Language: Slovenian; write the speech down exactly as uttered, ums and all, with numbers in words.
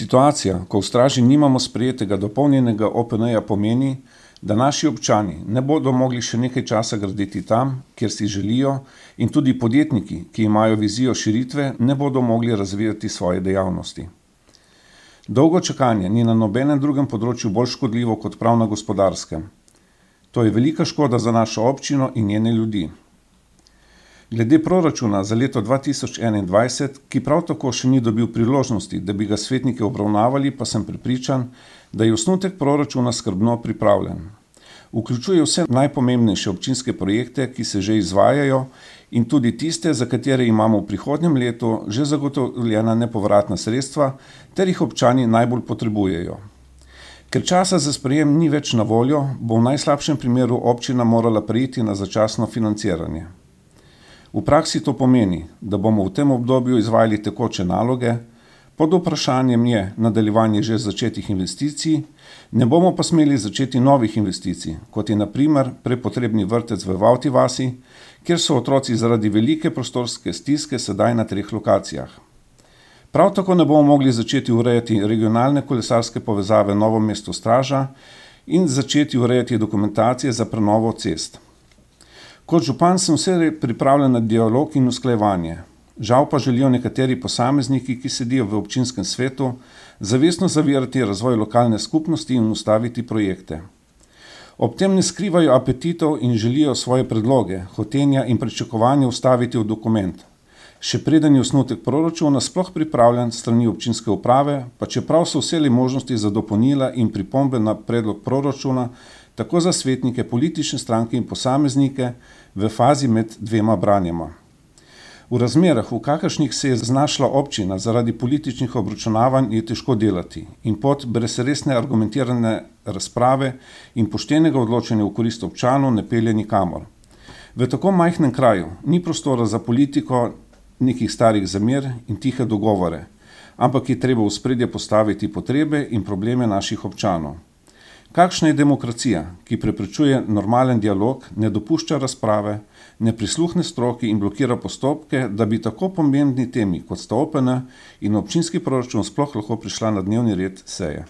Situacija, ko v Straži nimamo sprejetega dopolnjenega O P N-ja, pomeni, da naši občani ne bodo mogli še nekaj časa graditi tam, kjer si želijo, in tudi podjetniki, ki imajo vizijo širitve, ne bodo mogli razvijati svoje dejavnosti. Dolgo čakanje ni na nobenem drugem področju bolj škodljivo kot prav na gospodarskem. To je velika škoda za našo občino in njene ljudi. Glede proračuna za leto dva tisoč enaindvajset, ki prav tako še ni dobil priložnosti, da bi ga svetniki obravnavali, pa sem prepričan, da je osnutek proračuna skrbno pripravljen. Vključuje vse najpomembnejše občinske projekte, ki se že izvajajo, in tudi tiste, za katere imamo v prihodnjem letu že zagotovljena nepovratna sredstva, ter jih občani najbolj potrebujejo. Ker časa za sprejem ni več na voljo, bo v najslabšem primeru občina morala preiti na začasno financiranje. V praksi to pomeni, da bomo v tem obdobju izvajali tekoče naloge, pod vprašanjem je nadaljevanje že začetih investicij, ne bomo pa smeli začeti novih investicij, kot je na primer prepotrebni vrtec v Vavti vasi, kjer so otroci zaradi velike prostorske stiske sedaj na treh lokacijah. Prav tako ne bomo mogli začeti urejati regionalne kolesarske povezave Novo mesto-Straža in začeti urejati dokumentacije za prenovo cest. Kot župan sem vse pripravljen na dialog in usklajevanje. Žal pa želijo nekateri posamezniki, ki sedijo v občinskem svetu, zavestno zavirati razvoj lokalne skupnosti in ustaviti projekte. Ob tem ne skrivajo apetitov in želijo svoje predloge, hotenja in pričakovanja ustaviti v dokument. Še preden je osnutek proračuna sploh pripravljen s strani občinske uprave, pa čeprav so vse možnosti za dopolnila in pripombe na predlog proračuna, tako za svetnike, politične stranke in posameznike v fazi med dvema branjema. V razmerah, v kakršnih se je znašla občina zaradi političnih obračunavanj, je težko delati in pot brez resne argumentirane razprave in poštenega odločanja v korist občanov ne pelje nikamor. V tako majhnem kraju ni prostora za politiko nekih starih zamer in tihe dogovore, ampak je treba v ospredje postaviti potrebe in probleme naših občanov. Kakšna je demokracija, ki preprečuje normalen dialog, ne dopušča razprave, ne prisluhne stroki in blokira postopke, da bi tako pomembni temi, kot sta O P N in občinski proračun, sploh lahko prišla na dnevni red seje?